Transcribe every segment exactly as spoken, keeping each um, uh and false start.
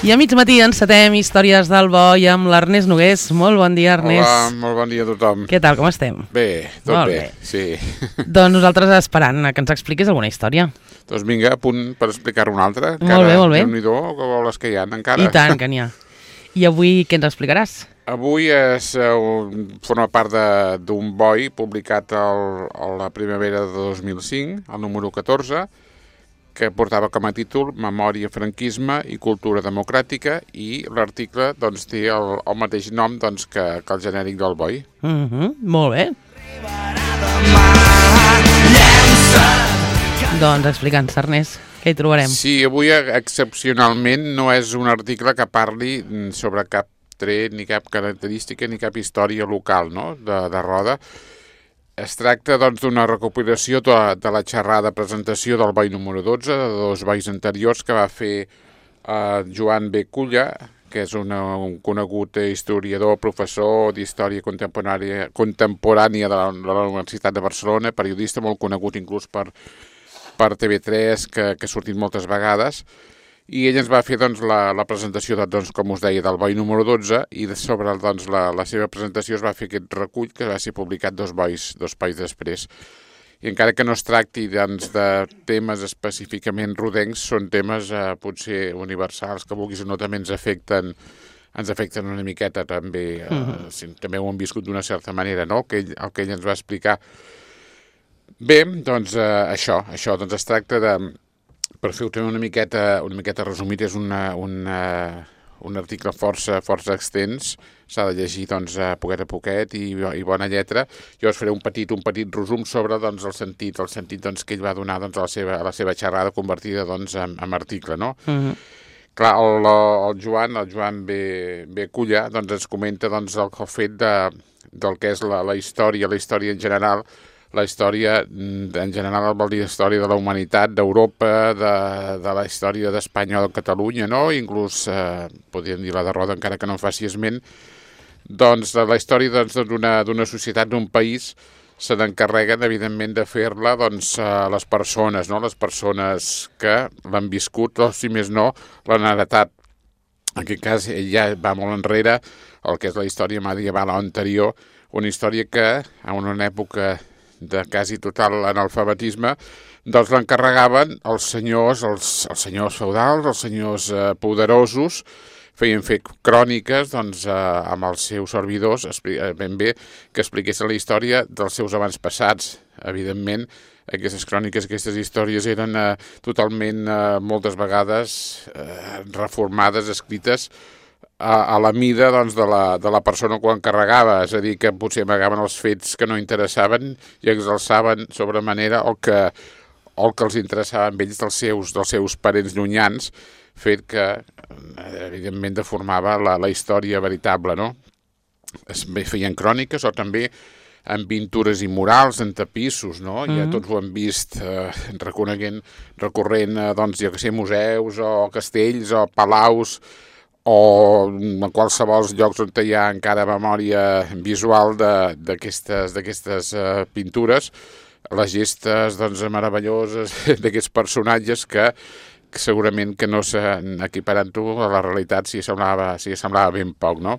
I a mig matí encetem Històries del Boi amb l'Ernest Nogués. Molt bon dia, Ernest. Hola, molt bon dia a tothom. Què tal, com estem? Bé, tot Molt bé, bé. sí. Doncs nosaltres esperant que ens expliquis alguna història. Doncs vinga, a punt per explicar una altra. Molt bé, molt bé. Déu-n'hi-do, que voles que hi ha encara. I tant, que n'hi ha. I avui què ens explicaràs? Avui és, uh, forma part d'un boi publicat el, a la primavera de dos mil cinc, el número catorze, que portava com a títol Memòria, franquisme i cultura democràtica, i l'article doncs, té el, el mateix nom doncs, que, que el genèric del boi. Mm -hmm, molt bé. Doncs explica'ns, Ernest, què hi trobarem? Sí, avui excepcionalment no és un article que parli sobre cap tret, ni cap característica, ni cap història local, no?, de, de Roda. Es tracta doncs, d'una recopilació de, de la xerrada presentació del boi número dotze, de dos bois anteriors que va fer eh, Joan B. Culla, que és una, un conegut historiador, professor d'història contemporània, contemporània de la, de la Universitat de Barcelona, periodista molt conegut inclús per, per T V tres, que, que ha sortit moltes vegades. I ell ens va fer doncs, la, la presentació, de, doncs, com us deia, del boi número dotze, i de sobre doncs, la, la seva presentació es va fer aquest recull que va ser publicat dos bois, dos bois després. I encara que no es tracti doncs, de temes específicament rodencs, són temes eh, potser universals, que vulguis o no també ens afecten, ens afecten una miqueta també, eh, uh-huh. si, també ho hem viscut d'una certa manera, no?, el que ell, el que ell ens va explicar. Bé, doncs eh, això, això doncs es tracta de... Per fer-ho una miqueta, una miqueta resumit, és una, una, un article força, força extens, s'ha de llegir doncs, a poquet a poquet i, i bona lletra. Jo us faré un petit, un petit resum sobre doncs, el sentit, el sentit doncs, que ell va donar doncs, a, la seva, a la seva xerrada convertida doncs, en, en article. No? Uh-huh. Clar, el, el Joan, el Joan B. B. Culla doncs, ens comenta doncs, el, el fet de, del que és la, la història, la història en general. La història, en general, vol dir història de la humanitat, d'Europa, de, de la història d'Espanya o de Catalunya, no? Inclús, eh, podríem dir la de Roda, encara que no en faci esment, doncs de la història d'una doncs, d'una societat, d'un país, se n'encarreguen, evidentment, de fer-la doncs, a les persones, no? Les persones que l'han viscut, o si més no, l'han heretat. En aquest cas, ell ja va molt enrere, el que és la història medieval o anterior, una història que, en una època de quasi total analfabetisme, doncs l'encarregaven els senyors, els, els senyors feudals, els senyors eh, poderosos, feien fer cròniques doncs, eh, amb els seus servidors, ben bé, que expliquessin la història dels seus avantpassats. Evidentment, aquestes cròniques, aquestes històries eren eh, totalment, eh, moltes vegades, eh, reformades, escrites a, a la mida doncs, de, la, de la persona que ho encarregava, és a dir, que potser amagaven els fets que no interessaven i exalçaven sobre manera el que, el que els interessava a ells dels seus, dels seus parents llunyans, fet que, evidentment, deformava la, la història veritable, no? Es feien cròniques o també en pintures i murals, en tapissos, no? Mm-hmm. Ja tots ho hem vist eh, reconeguent, recorrent a, doncs, jo que sé, museus o castells o palaus, o en qualsevol llocs on hi ha encara memòria visual d'aquestes d'aquestes uh, pintures, les gestes doncs, meravelloses d'aquests personatges que, que segurament que no s'equiparant-ho a la realitat si semblava, si semblava ben poc, no?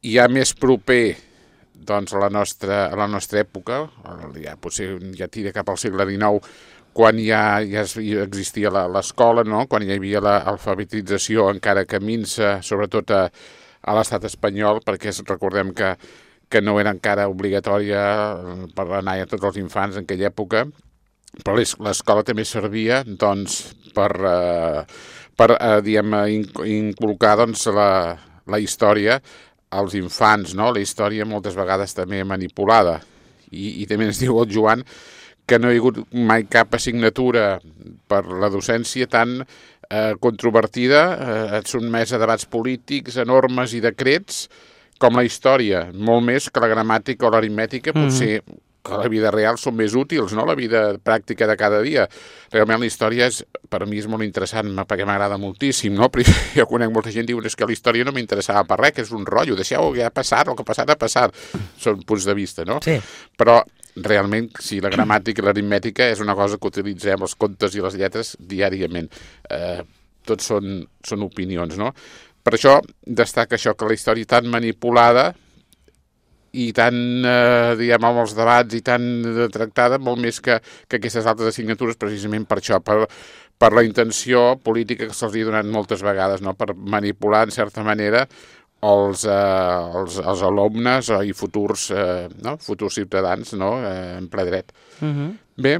I ja més proper doncs, a, la nostra, a la nostra època, ja, potser ja tira cap al segle dinou, quan ja, ja existia l'escola, no? Quan hi havia l'alfabetització encara que minsa, sobretot a, a l'estat espanyol, perquè recordem que, que no era encara obligatòria per anar a tots els infants en aquella època, però l'escola també servia doncs, per, eh, per eh, diguem, inculcar doncs, la, la història als infants, no? La història moltes vegades també manipulada. I, i també ens diu el Joan que no hi ha hagut mai cap assignatura per la docència tan eh, controvertida, eh, sotmesa a debats polítics, a normes i decrets, com la història, molt més que la gramàtica o l'aritmètica, potser mm-hmm. que la vida real són més útils, no? La vida pràctica de cada dia. Realment la història és, per mi és molt interessant, perquè m'agrada moltíssim, no? Però jo conec molta gent que diu que la història no m'interessava per res, que és un rotllo, deixeu que ha passat, el que ha passat ha passat. Són punts de vista, no? Sí. Però realment, sí, la gramàtica i l'aritmètica és una cosa que utilitzem els contes i les lletres diàriament. Eh, tot són, són opinions, no? Per això destaca això, que la història tan manipulada i tan, eh, diguem, amb els debats i tan tractada, molt més que, que aquestes altres assignatures, precisament per això, per, per la intenció política que se'ls ha donat moltes vegades, no? Per manipular, en certa manera, els, eh, els, els alumnes i futurs, eh, no? futurs ciutadans, no? eh, en ple dret. Uh-huh. Bé,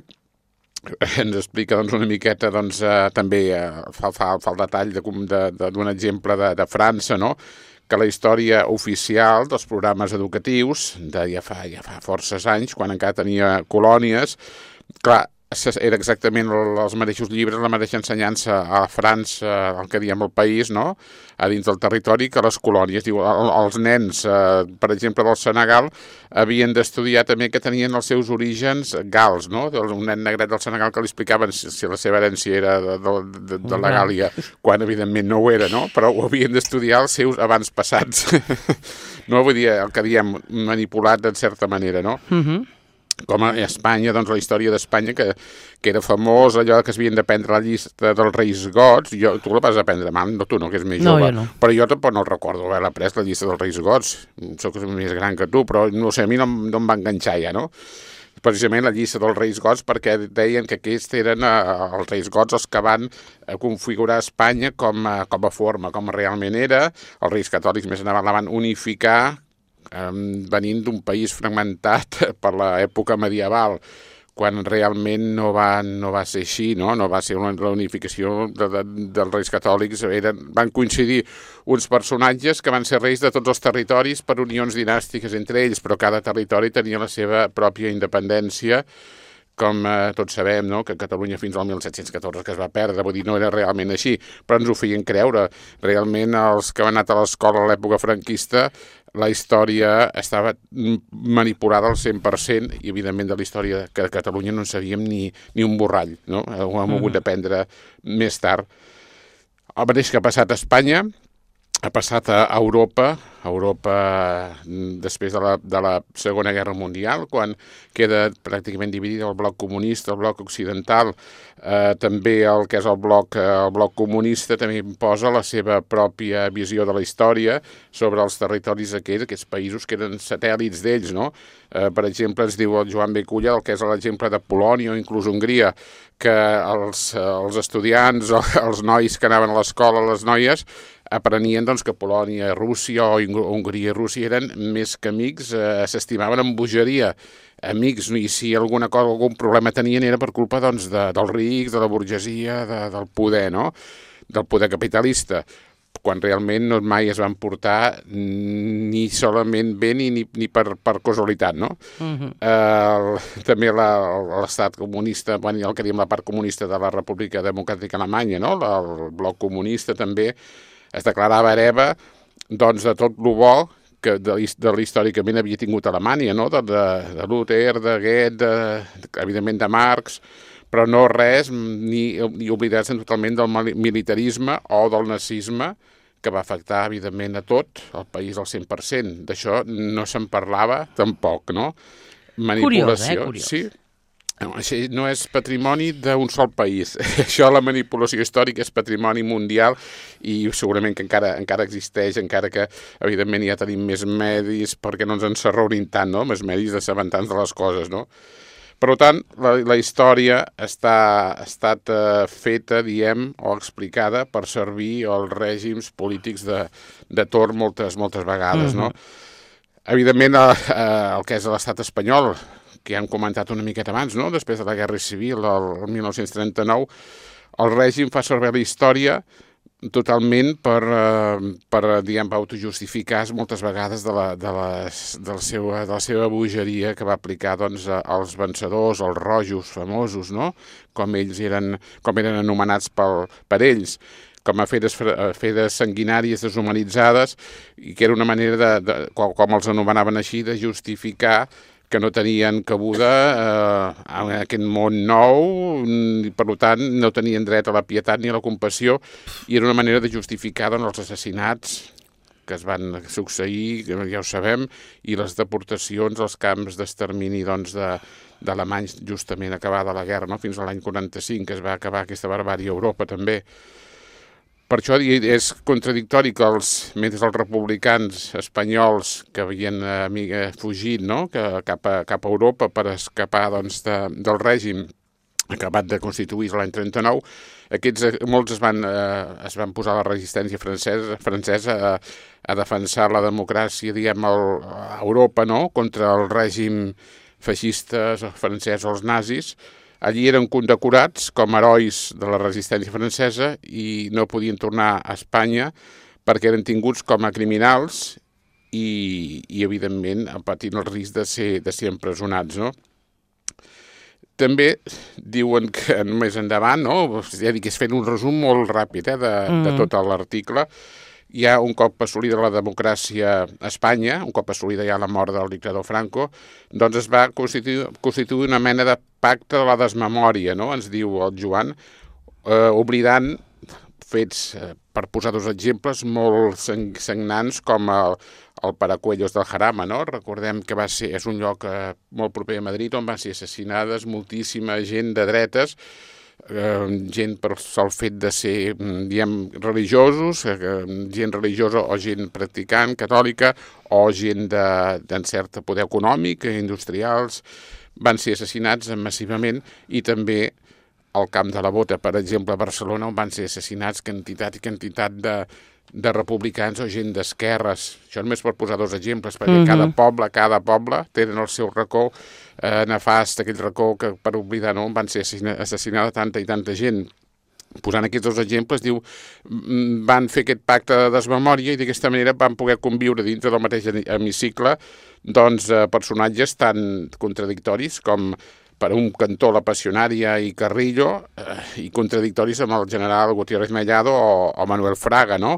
ens explica doncs, una miqueta, doncs, eh, també eh, fa, fa, fa el detall d'un exemple de, de França, no? Que la història oficial dels programes educatius, de ja fa, ja fa forces anys, quan encara tenia colònies, clar, era exactament els mateixos llibres, la mateixa ensenyança a França, el que diem el país, no?, a dins del territori, que les colònies. Diu, els nens, eh, per exemple, del Senegal, havien d'estudiar també que tenien els seus orígens gals, no? Un nen negret del Senegal que li explicaven si, si la seva herència era de, de, de, de la Gàlia, quan evidentment no ho era, no? Però ho havien d'estudiar els seus abans passats. No, vull dir, el que diem, manipulat en certa manera, no? Uh-huh. Com a Espanya, doncs la història d'Espanya, que, que era famós, allò que es havien d'aprendre la llista dels reis gots. Jo, tu la vas aprendre mal, no tu no, que és més no, jove. Jo no. Però jo tampoc no el recordo haver après la llista dels reis gots. Soc més gran que tu, però no sé, a mi no, no em va enganxar ja, no? Precisament la llista dels reis gots, perquè deien que aquests eren eh, els reis gots els que van eh, configurar Espanya com a, com a forma, com realment era. Els reis catòlics més endavant la van unificar, venint d'un país fragmentat per l'època medieval, quan realment no va, no va ser així, no? No va ser una reunificació de, de, dels reis catòlics. Eren, van coincidir uns personatges que van ser reis de tots els territoris per unions dinàstiques entre ells, però cada territori tenia la seva pròpia independència, com eh, tots sabem, no? Que Catalunya fins al mil set-cents catorze que es va perdre, vull dir, no era realment així, però ens ho feien creure. Realment els que van anar a l'escola a l'època franquista, la història estava manipulada al cent per cent i, evidentment, de la història que de Catalunya no en sabíem ni, ni un borrall, no? Ho hem hagut d'aprendre més tard. El mateix que ha passat a Espanya, ha passat a Europa, a Europa després de la, de la Segona Guerra Mundial, quan queda pràcticament dividit el bloc comunista, el bloc occidental, eh, també el que és el bloc, el bloc comunista també imposa la seva pròpia visió de la història sobre els territoris aquells, aquests països que eren satèl·lits d'ells, no? Eh, per exemple, ens diu el Joan Beculla, el que és l'exemple de Polònia o inclús Hongria, que els, els estudiants, els nois que anaven a l'escola, les noies, aprenien doncs, que Polònia, Rússia o Hongria i Rússia eren més que amics, eh, s'estimaven amb bogeria, amics, i si alguna cosa, algun problema tenien era per culpa doncs, de, dels rics, de la burgesia, de, del poder, no? Del poder capitalista, quan realment no mai es van portar ni solament bé ni, ni, ni per, per casualitat, no? Uh-huh. eh, també l'estat comunista, bueno, el que diem la part comunista de la República Democràtica Alemanya, no? El bloc comunista també es declarava hereva doncs, de tot el bo que de, de l'històricament havia tingut Alemanya, no? de, de, de Luther, de Goethe, de, evidentment de Marx, però no res ni, ni oblidar-se totalment del militarisme o del nazisme, que va afectar, evidentment, a tot el país al cent per cent. D'això no se'n parlava tampoc, no? Manipulació. Curiós, eh? Curiós. Sí. No, això no és patrimoni d'un sol país. Això, la manipulació històrica, és patrimoni mundial i segurament que encara encara existeix, encara que, evidentment, ja tenim més medis perquè no ens encerrorin tant, no? Més medis d'assabentar-nos de les coses, no? Per tant, la, la història està, ha estat eh, feta, diem, o explicada per servir als règims polítics de, de torn moltes, moltes vegades, mm-hmm. no? Evidentment, eh, el que és l'estat espanyol, que ja hem comentat una miqueta abans, no? Després de la Guerra Civil, el, el mil nou-cents trenta-nou, el règim fa servir la història totalment per, eh, per diguem, autojustificar moltes vegades de la, de, les, de, la seva, de la seva bogeria que va aplicar doncs, als vencedors, als rojos famosos, no? Com ells eren, com eren anomenats pel, per ells, com a feres, feres sanguinàries deshumanitzades, i que era una manera, de, de, com, com els anomenaven així, de justificar que no tenien cabuda eh, en aquest món nou, i per tant no tenien dret a la pietat ni a la compassió, i era una manera de justificar doncs, els assassinats que es van succeir, ja ho sabem, i les deportacions als camps d'extermini doncs, de, d'alemanys justament acabada la guerra, no? Fins a l'any quaranta-cinc, que es va acabar aquesta barbària a Europa també. Per això és contradictori que els, mentre els republicans espanyols que havien eh, fugit, no? que, cap, a, cap a Europa per escapar doncs, de, del règim acabat de constituir l'any trenta-nou, aquests, molts es van, eh, es van posar a la resistència francesa, francesa a, a defensar la democràcia, diguem, el, a Europa, no? Contra el règim feixista francès o els nazis. Allí eren condecorats com a herois de la resistència francesa i no podien tornar a Espanya perquè eren tinguts com a criminals i, i evidentment, patint el risc de ser, de ser empresonats, no? També diuen que més endavant, no? Ja dic, és fent un resum molt ràpid eh, de, mm. de tot l'article. Ja un cop assolida la democràcia a Espanya, un cop assolida ja la mort del dictador Franco, doncs es va constituir, constituir una mena de pacte de la desmemòria, no? Ens diu el Joan, eh, oblidant fets, eh, per posar dos exemples, molt sagnants com el, el Paracuellos del Jarama, no? Recordem que va ser, és un lloc eh, molt proper a Madrid on van ser assassinades moltíssima gent de dretes, Eh, gent per el fet de ser, diem, religiosos, eh, gent religiosa o gent practicant, catòlica, o gent d'en cert poder econòmic, industrials, van ser assassinats massivament, i també al Camp de la Bota, per exemple, a Barcelona, on van ser assassinats quantitat i quantitat de, de republicans o gent d'esquerres. Això només per posar dos exemples, perquè mm-hmm. cada poble, cada poble tenen el seu racó eh, nefast, aquell racó que per oblidar no van ser assassinada tanta i tanta gent. Posant aquests dos exemples, diu, van fer aquest pacte de desmemòria i d'aquesta manera van poder conviure dintre del mateix hemicicle doncs, eh, personatges tan contradictoris com per un cantó la Passionària i Carrillo eh, i contradictoris amb el general Gutiérrez Mellado o, o Manuel Fraga, no?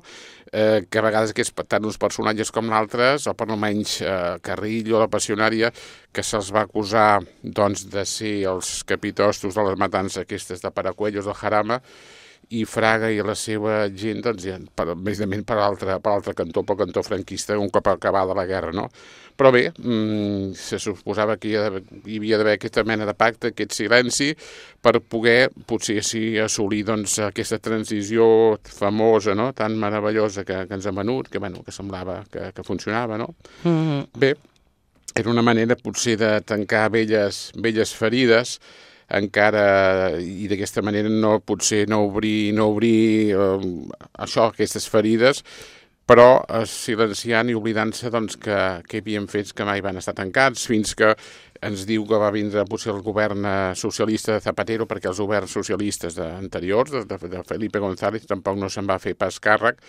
Eh, que a vegades aquests, tant uns personatges com l'altres, o per almenys eh, Carrillo, la Passionària, que se'ls va acusar doncs, de ser els capitostos de les matances aquestes de Paracuellos del Jarama, i Fraga i la seva gent, doncs, ja, per, més de menys per l'altre per l'altre cantó, pel cantó franquista, un cop acabada la guerra, no? Però bé, mmm, se suposava que hi havia d'haver aquesta mena de pacte, aquest silenci, per poder, potser sí, assolir doncs, aquesta transició famosa, no?, tan meravellosa que, que ens ha venut, que, bueno, que semblava que, que funcionava, no? Mm-hmm. Bé, era una manera, potser, de tancar velles, velles ferides, encara, i d'aquesta manera no, potser no obrir, no obrir eh, això, aquestes ferides, però eh, silenciant i oblidant-se doncs, que, que hi havia fets que mai van estar tancats, fins que ens diu que va vindre potser el govern socialista de Zapatero, perquè els governs socialistes anteriors, de, de Felipe González, tampoc no se'n va fer pas càrrec.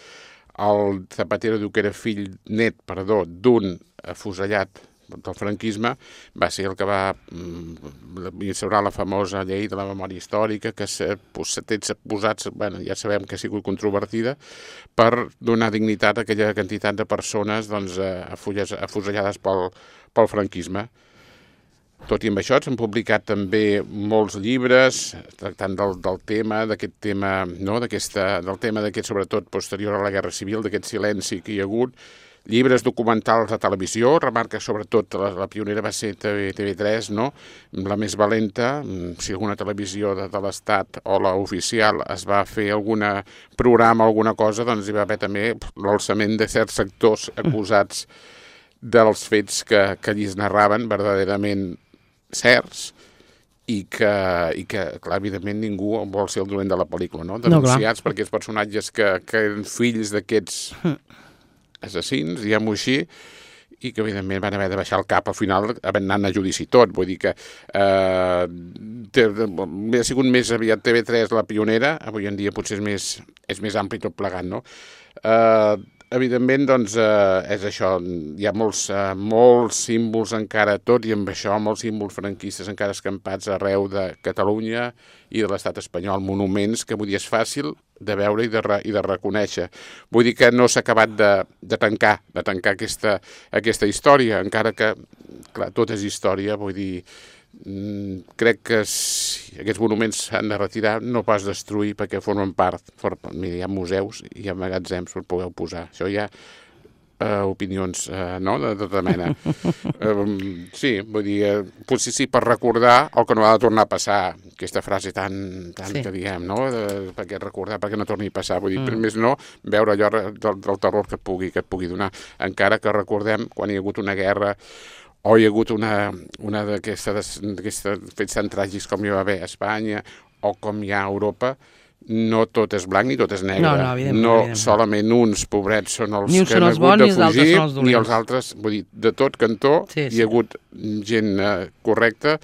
El Zapatero diu que era fill net, perdó, d'un afusellat del franquisme, va ser el que va instaurar la famosa llei de la memòria històrica, que s'ha posat, bueno, ja sabem que ha sigut controvertida, per donar dignitat a aquella quantitat de persones doncs, afusellades pel, pel franquisme. Tot i amb això, s'han publicat també molts llibres tractant del, del tema, d'aquest tema, no? d'aquesta, del tema d'aquest, sobretot posterior a la Guerra Civil, d'aquest silenci que hi ha hagut, llibres documentals de televisió, remarca sobretot la, la pionera va ser T V tres, no? La més valenta, si alguna televisió de, de l'Estat o la oficial es va fer algun programa o alguna cosa, doncs hi va haver també l'alçament de certs sectors acusats dels fets que, que allí es narraven verdaderament certs i que, i que, clar, evidentment ningú vol ser el dolent de la pel·lícula, no? Denunciats no, per aquests personatges que, que eren fills d'aquests assassins, diguem-ho així, i que evidentment van haver de baixar el cap al final havent anat a judici tot. Vull dir que eh, té, ha sigut més aviat T V tres la pionera, avui en dia potser és més, és més ampli tot plegat, no? Eh, evidentment, doncs, eh, és això, hi ha molts, eh, molts símbols encara, tot i amb això, molts símbols franquistes encara escampats arreu de Catalunya i de l'estat espanyol, monuments que avui dia és fàcil de veure i de, re, i de reconèixer. Vull dir que no s'ha acabat de, de tancar, de tancar aquesta, aquesta història, encara que, clar, tot és història, vull dir, mm, crec que si aquests monuments s'han de retirar, no pas destruir, perquè formen part, for, mira, hi ha museus i hi ha magatzems per poder posar. Això ja uh, opinions, uh, no?, de tota mena. um, sí, vull dir, uh, potser sí per recordar el que no ha de tornar a passar, aquesta frase tan, tan sí. que diguem, no?, de, perquè recordar perquè no torni a passar, vull dir, mm. per més no, veure allò del, del terror que et pugui, que et pugui donar, encara que recordem quan hi ha hagut una guerra o hi ha hagut una, una d'aquestes fets tan tràgics com hi va haver a Espanya o com hi ha a Europa, no tot és blanc ni tot és negre. No, no, evidentment, no evidentment. solament uns pobrets són els ni que són han els hagut bons, de fugir, els ni els altres, vull dir, de tot cantó sí, sí. hi ha hagut gent eh, correcta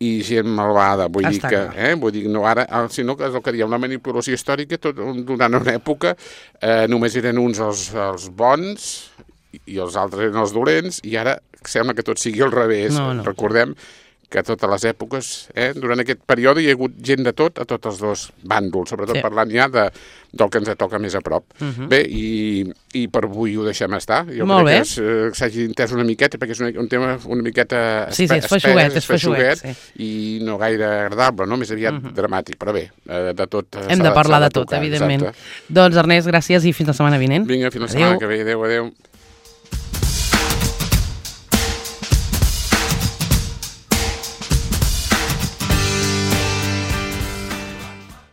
i gent malvada, vull Està dir que, eh, vull dir, no ara, sinó que és el que diem, la manipulació històrica, tot, durant una època eh, només eren uns els, els bons i els altres eren els dolents, i ara sembla que tot sigui al revés. No, no. Recordem que a totes les èpoques, eh, durant aquest període hi ha hagut gent de tot a tots els dos bàndols, sobretot sí. parlant ja de, del que ens toca més a prop. Uh -huh. Bé, i, i per avui ho deixem estar. Jo Molt crec bé. que eh, s'hagi entès una miqueta, perquè és una, un tema una miqueta sí, sí, és feixuguet, és feixuguet, sí. i no gaire agradable, no? Més aviat uh -huh. dramàtic, però bé, eh, de tot... Hem de parlar de, de tot, tocar, evidentment. Exacte. Doncs Ernest, gràcies i fins la setmana vinent. Vinga, fins la adéu. setmana que ve. Adéu, adéu.